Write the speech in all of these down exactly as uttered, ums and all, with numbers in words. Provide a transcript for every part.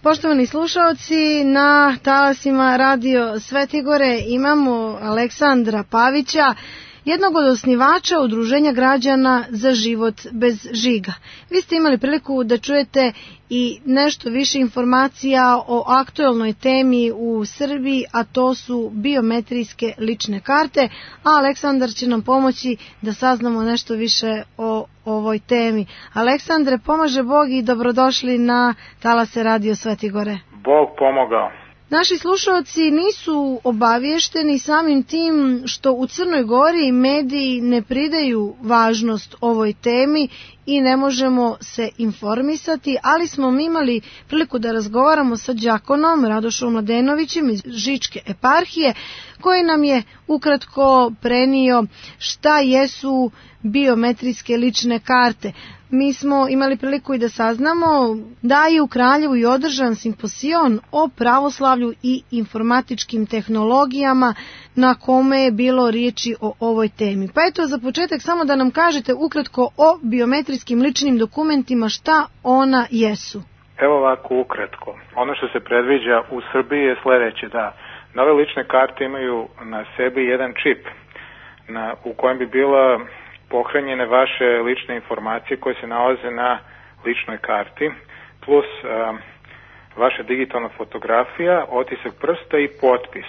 Poštovani slušaoci, na talasima Radio Svetigore imamo Aleksandra Pavića, jednog od osnivača Udruženja građana za život bez žiga. Vi ste imali priliku da čujete i nešto više informacija o aktuelnoj temi u Srbiji, a to su biometrijske lične karte, a Aleksandar će nam pomoći da saznamo nešto više o ovoj temi. Aleksandre, pomaže Bog i dobrodošli na talase Radio Svetigore. Bog pomogao. Naši slušalci nisu obavješteni samim tim što u Crnoj Gori mediji ne pridaju važnost ovoj temi i ne možemo se informisati, ali smo mi imali priliku da razgovaramo sa đakonom Radošom Mladenovićem iz Žičke eparhije, koji nam je ukratko prenio šta jesu biometrijske lične karte. Mi smo imali priliku i da saznamo da je u Kraljevu i održan simpozion o pravoslavlju i informatičkim tehnologijama na kome je bilo riječi o ovoj temi. Pa eto, za početak samo da nam kažete ukratko o biometrijskim ličnim dokumentima, šta ona jesu. Evo ovako ukratko. Ono što se predviđa u Srbiji je sledeće, da nove lične karte imaju na sebi jedan čip na, u kojem bi bila pohranjene vaše lične informacije koje se nalaze na ličnoj karti, plus a, vaša digitalna fotografija, otisak prsta i potpis.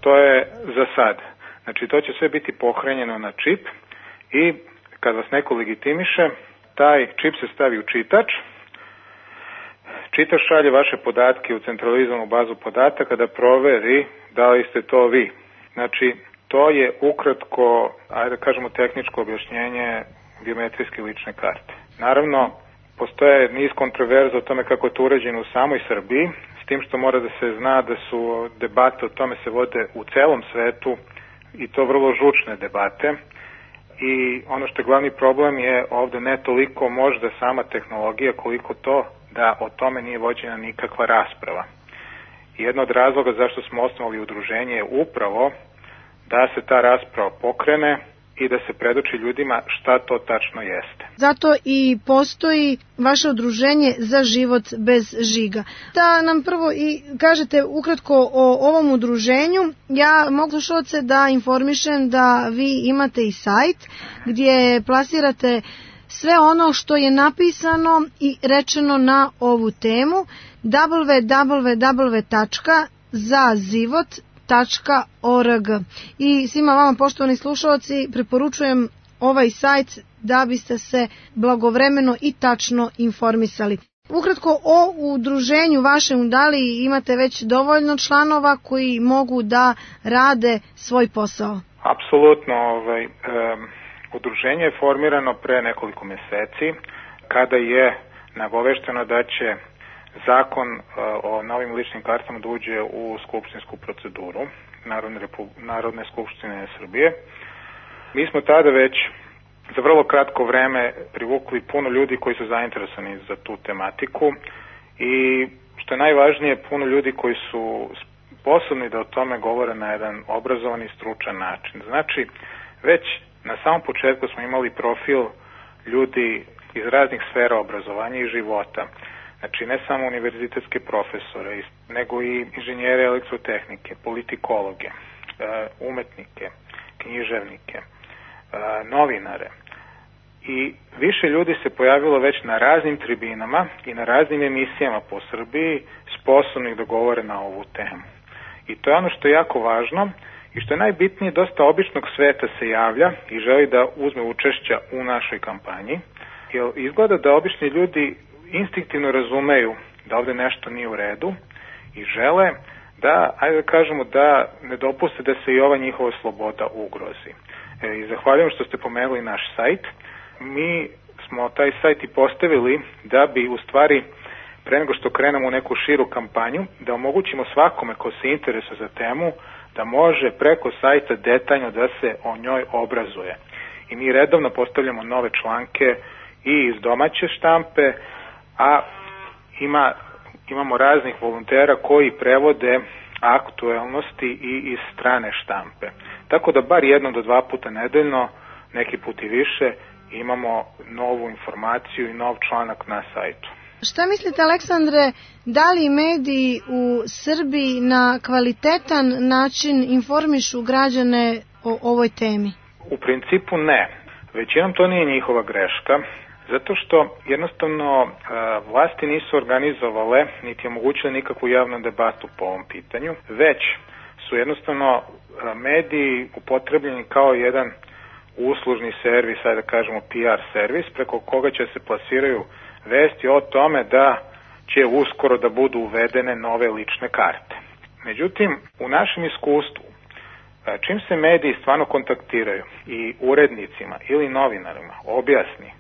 To je za sad. Znači, to će sve biti pohranjeno na čip i kad vas neko legitimiše, taj čip se stavi u čitač. Čitač šalje vaše podatke u centralizovanu bazu podataka da proveri da li ste to vi. Znači, to je ukratko, ajde da kažemo, tehničko objašnjenje biometrijske lične karte. Naravno, postoje niz kontroverza o tome kako je to urađeno u samoj Srbiji, s tim što mora da se zna da su debate o tome se vode u celom svetu i to vrlo žučne debate. I ono što je glavni problem je ovde ne toliko možda sama tehnologija koliko to da o tome nije vođena nikakva rasprava. I jedno od razloga zašto smo osnovali udruženje je upravo da se ta rasprava pokrene i da se predoči ljudima šta to tačno jeste. Zato i postoji vaše udruženje za život bez žiga. Da nam prvo i kažete ukratko o ovom udruženju. Ja mogu slušalce da informišem da vi imate i sajt gdje plasirate sve ono što je napisano i rečeno na ovu temu w w w tačka za život tačka org. I svima vama, poštovani slušalci, preporučujem ovaj sajt da biste se blagovremeno i tačno informisali. Ukratko o udruženju vašem, da li imate već dovoljno članova koji mogu da rade svoj posao? Apsolutno. Ovaj, um, udruženje je formirano pre nekoliko meseci kada je nagovešteno da će zakon uh, o novim ličnim kartama da uđe u skupštinsku proceduru Narodne, Narodne skupštine Srbije. Mi smo tada već za vrlo kratko vreme privukli puno ljudi koji su zainteresovani za tu tematiku i što je najvažnije, puno ljudi koji su sposobni da o tome govore na jedan obrazovan i stručan način. Znači, već na samom početku smo imali profil ljudi iz raznih sfera obrazovanja i života. Znači, ne samo univerzitetske profesore, nego i inženjere elektrotehnike, politikologe, umetnike, književnike, novinare. I više ljudi se pojavilo već na raznim tribinama i na raznim emisijama po Srbiji sposobnih da govore na ovu temu. I to je ono što je jako važno i što je najbitnije, dosta običnog sveta se javlja i želi da uzme učešća u našoj kampanji, jer izgleda da obični ljudi instinktivno razumeju da ovde nešto nije u redu i žele da, ajde da kažemo, da ne dopuste da se i ova njihova sloboda ugrozi. E, I zahvaljujem što ste pomenuli naš sajt. Mi smo taj sajt i postavili da bi u stvari pre nego što krenemo u neku širu kampanju, da omogućimo svakome ko se interesuje za temu da može preko sajta detaljno da se o njoj obrazuje. I mi redovno postavljamo nove članke i iz domaće štampe, a ima, imamo raznih volontera koji prevode aktuelnosti i iz strane štampe. Tako da bar jedno do dva puta nedeljno, neki put i više, imamo novu informaciju i nov članak na sajtu. Šta mislite, Aleksandre, da li mediji u Srbiji na kvalitetan način informišu građane o ovoj temi? U principu ne. Većinom to nije njihova greška, zato što jednostavno vlasti nisu organizovale niti omogućile nikakvu javnu debatu po ovom pitanju, već su jednostavno mediji upotrebljeni kao jedan uslužni servis, ajde da kažemo P R servis, preko koga će se plasiraju vesti o tome da će uskoro da budu uvedene nove lične karte. Međutim, u našem iskustvu, čim se mediji stvarno kontaktiraju i urednicima ili novinarima objasni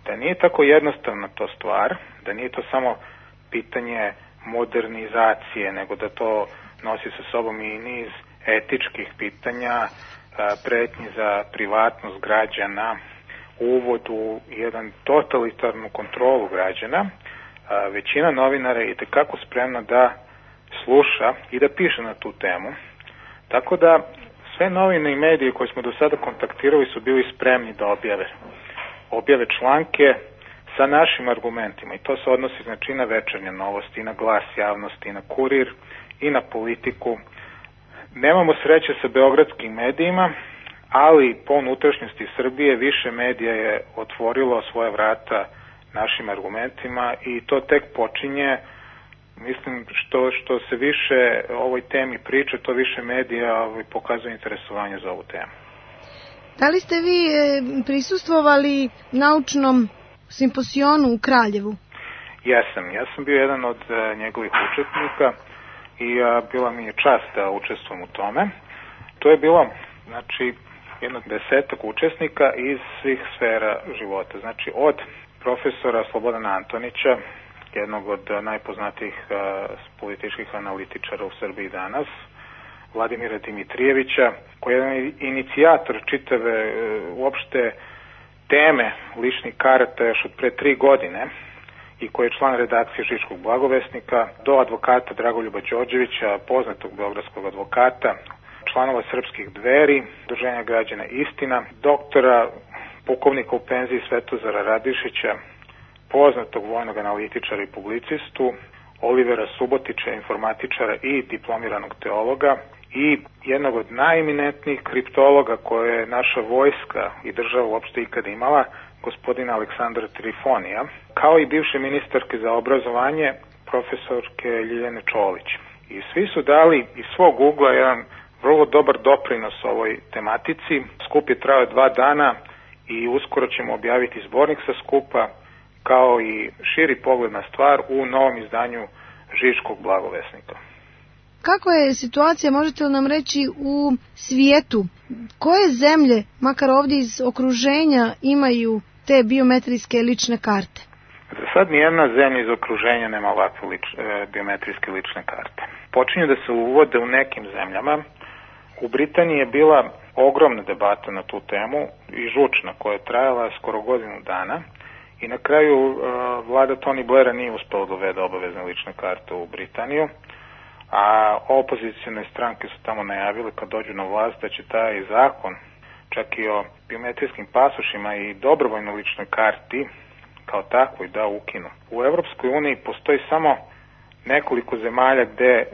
da nije tako jednostavna to stvar, da nije to samo pitanje modernizacije, nego da to nosi sa sobom i niz etičkih pitanja, pretnji za privatnost građana, uvod u jedan totalitarnu kontrolu građana, većina novinara je itekako spremna da sluša i da piše na tu temu. Tako da sve novine i medije koje smo do sada kontaktirali su bili spremni da objave. Objave članke sa našim argumentima i to se odnosi znači na Večernje novosti, i na Glas javnosti, i na Kurir, i na Politiku. Nemamo sreće sa beogradskim medijima, ali po unutrašnjosti Srbije više medija je otvorilo svoje vrata našim argumentima i to tek počinje. Mislim što što se više o ovoj temi priča, to više medija pokazuje interesovanje za ovu temu. Da li ste vi prisustvovali naučnom simposionu u Kraljevu? Jesam, ja sam bio jedan od njegovih učesnika i bila mi je čast da učestvujem u tome. To je bilo, znači, jedno desetak učesnika iz svih sfera života. Znači, od profesora Slobodana Antonića, jednog od najpoznatijih političkih analitičara u Srbiji danas, Vladimira Dimitrijevića, koji je jedan inicijator čitave uopšte teme ličnih karata još od pre tri godine i koji je član redakcije Žičkog blagovesnika, do advokata Dragoljuba Đorđevića, poznatog beogradskog advokata, članova Srpskih Dveri, Udruženja građana Istina, doktora, pukovnika u penziji Svetozara Radišića, poznatog vojnog analitičara i publicistu, Olivera Subotića, informatičara i diplomiranog teologa, i jednog od najeminentnijih kriptologa koje je naša vojska i država uopšte ikada imala, gospodina Aleksandra Trifonija, kao i bivše ministarke za obrazovanje, profesorke Ljiljane Čolić. I svi su dali iz svog ugla jedan vrlo dobar doprinos ovoj tematici. Skup je trajao dva dana i uskoro ćemo objaviti zbornik sa skupa, kao i širi pogled na stvar u novom izdanju Žičkog blagovesnika. Kako je situacija, možete li nam reći, u svijetu? Koje zemlje, makar ovdje iz okruženja, imaju te biometrijske lične karte? Za sad nijedna zemlja iz okruženja nema ovakve lič, e, biometrijske lične karte. Počinju da se uvode u nekim zemljama. U Britaniji je bila ogromna debata na tu temu i žučna, koja je trajala skoro godinu dana. I na kraju uh, vlada Tony Blaira nije uspela da uvede obavezne lične karte u Britaniju, a opozicijne stranke su tamo najavile kad dođu na vlast da će taj zakon, čak i o biometrijskim pasošima i dobrovoljnoj ličnoj karti kao takvoj, da ukinu. U Evropskoj uniji postoji samo nekoliko zemalja gde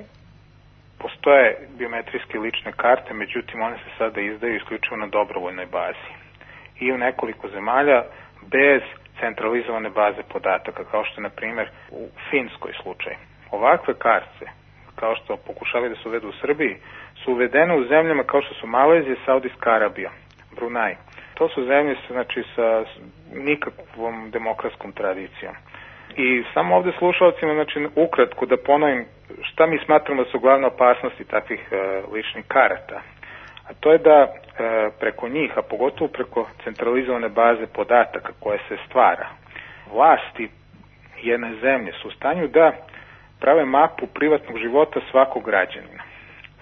postoje biometrijske lične karte, međutim one se sada izdaju isključivo na dobrovoljnoj bazi. I u nekoliko zemalja bez centralizovane baze podataka, kao što je, na primjer, u Finskoj slučaj. Ovakve karte, kao što pokušavaju da se uvedu u Srbiji, su uvedene u zemljama kao što su Malezija, Saudijska Arabija, Brunei. To su zemlje znači, sa nikakvom demokratskom tradicijom. I samo ovde slušalcima, znači, ukratko da ponovim šta mi smatramo da su glavne opasnosti takvih e, ličnih karata. A to je da e, preko njih, a pogotovo preko centralizovane baze podataka koje se stvara, vlasti jedne zemlje su u stanju da prave mapu privatnog života svakog građanina.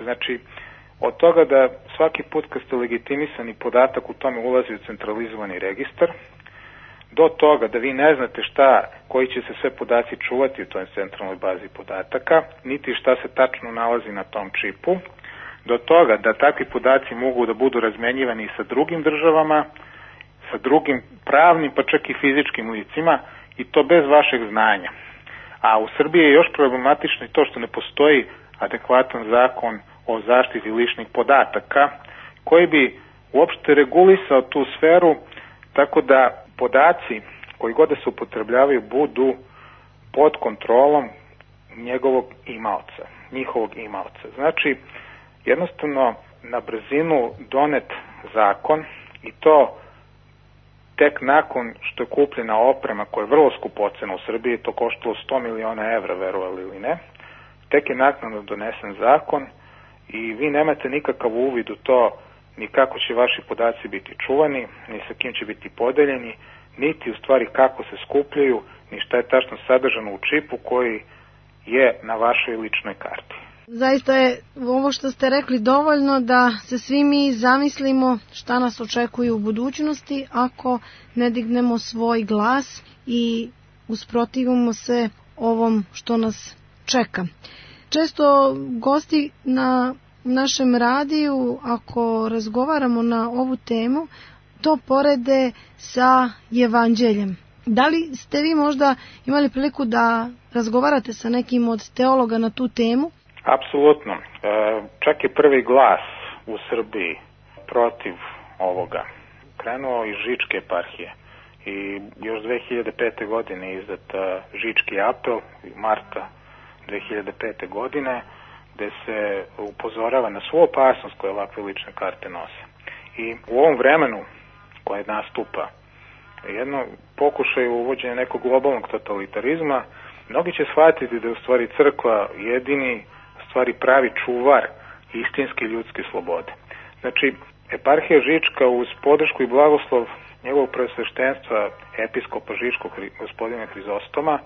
Znači, od toga da svaki put kad ste legitimisani podatak u tome ulazi u centralizovani registar, do toga da vi ne znate šta, koji će se sve podaci čuvati u toj centralnoj bazi podataka, niti šta se tačno nalazi na tom čipu, do toga da takvi podaci mogu da budu razmenjivani sa drugim državama, sa drugim pravnim, pa čak i fizičkim licima, i to bez vašeg znanja. A u Srbiji je još problematično i to što ne postoji adekvatan zakon o zaštiti ličnih podataka koji bi uopšte regulisao tu sferu tako da podaci koji god da se upotrebljavaju budu pod kontrolom njegovog imaoca, njihovog imaoca. Znači, jednostavno na brzinu donet zakon i to tek nakon što je kupljena oprema koja je vrlo skupocena u Srbiji, to koštalo sto miliona evra, verovali ili ne, tek je naknadno donesen zakon i vi nemate nikakav uvid u to ni kako će vaši podaci biti čuvani, ni sa kim će biti podeljeni, niti u stvari kako se skupljaju, ni šta je tačno sadržano u čipu koji je na vašoj ličnoj karti. Zaista je ovo što ste rekli dovoljno da se svi mi zamislimo šta nas očekuje u budućnosti ako ne dignemo svoj glas i usprotivimo se ovom što nas čeka. Često gosti na našem radiju, ako razgovaramo na ovu temu, to porede sa evanđeljem. Da li ste vi možda imali priliku da razgovarate sa nekim od teologa na tu temu? Apsolutno. E, čak je prvi glas u Srbiji protiv ovoga krenuo iz Žičke eparhije i još dve hiljade pete. godine izdat Žički apel, marta dve hiljade pete. godine, gde se upozorava na svu opasnost koje ovakve lične karte nose. I u ovom vremenu koje nastupa jedno pokušaj uvođenja nekog globalnog totalitarizma, mnogi će shvatiti da je u stvari crkva jedini stvari pravi čuvar istinske ljudske slobode. Znači, eparhija Žička uz podršku i blagoslov njegovog preosveštenstva episkopa Žičkog gospodina Hrizostoma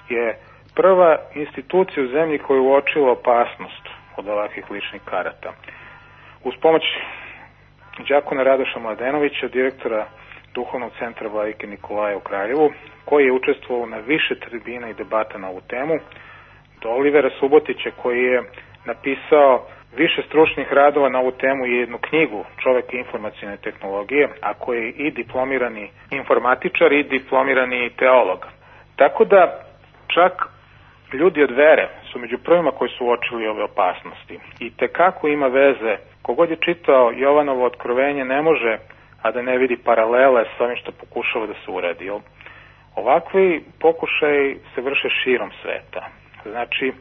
je prva institucija u zemlji koja je uočila opasnost od ovakvih ličnih karata. Uz pomoć đakona Radoša Mladenovića, direktora Duhovnog centra Vladike Nikolaja u Kraljevu, koji je učestvovao na više tribina i debata na ovu temu, do Olivera Subotića, koji je napisao više stručnih radova na ovu temu i jednu knjigu Čovek informacione tehnologije, a koji je i diplomirani informatičar i diplomirani teolog. Tako da čak ljudi od vere su među prvima koji su uočili ove opasnosti. I tekako ima veze, kogod je čitao Jovanovo otkrovenje ne može, a da ne vidi paralele s ovim što pokušava da se uradi. Ovakvi pokušaj se vrše širom sveta. Znači,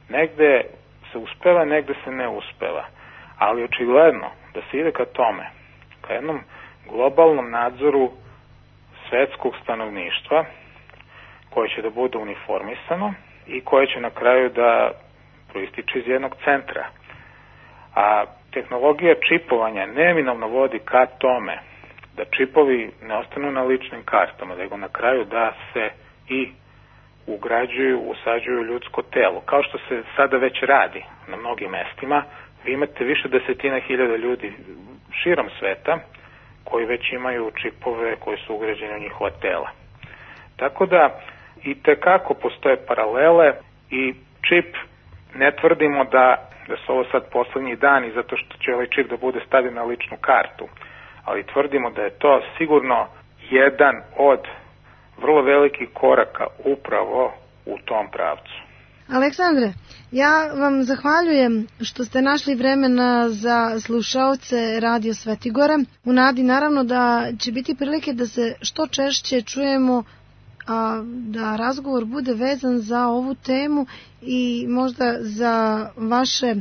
negde se uspeva, negde se ne uspeva. Ali očigledno da se ide ka tome, ka jednom globalnom nadzoru svetskog stanovništva, koje će da bude uniformisano i koje će na kraju da proističe iz jednog centra. A tehnologija čipovanja neminovno vodi ka tome da čipovi ne ostanu na ličnim kartama, nego na kraju da se i ugrađuju, usađuju ljudsko telo. Kao što se sada već radi na mnogim mestima, vi imate više desetina hiljada ljudi širom sveta koji već imaju čipove koji su ugrađeni u njihova tela. Tako da i tekako postoje paralele i čip ne tvrdimo da, da su ovo sad poslednji dani zato što će ovaj čip da bude stavljen na ličnu kartu, ali tvrdimo da je to sigurno jedan od vrlo velikih koraka upravo u tom pravcu. Aleksandre, ja vam zahvaljujem što ste našli vremena za slušaoce Radio Svetigora. U nadi naravno da će biti prilike da se što češće čujemo, a da razgovor bude vezan za ovu temu i možda za vaše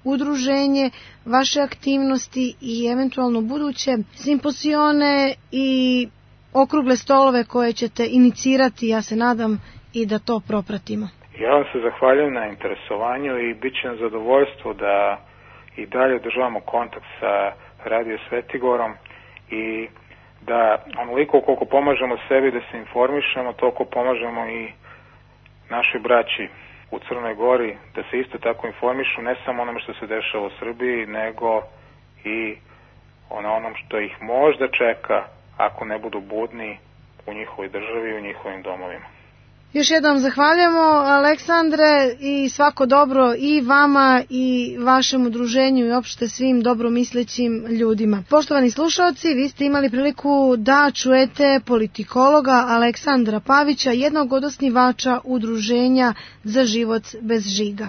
udruženje, vaše aktivnosti i eventualno buduće simposione i okrugle stolove koje ćete inicirati, ja se nadam, i da to propratimo. Ja vam se zahvaljujem na interesovanju i bit će nam zadovoljstvo da i dalje održavamo kontakt sa Radio Svetigorom i da onoliko koliko pomažemo sebi da se informišemo, toliko pomažemo i našoj braći u Crnoj Gori da se isto tako informišu, ne samo onome što se dešava u Srbiji, nego i ono onom što ih možda čeka ako ne budu budni u njihovoj državi i u njihovim domovima. Još jednom zahvaljujemo, Aleksandre, i svako dobro i vama i vašem udruženju i opšte svim dobromislećim ljudima. Poštovani slušalci, vi ste imali priliku da čujete politikologa Aleksandra Pavića, jednog od osnivača udruženja Za život bez žiga.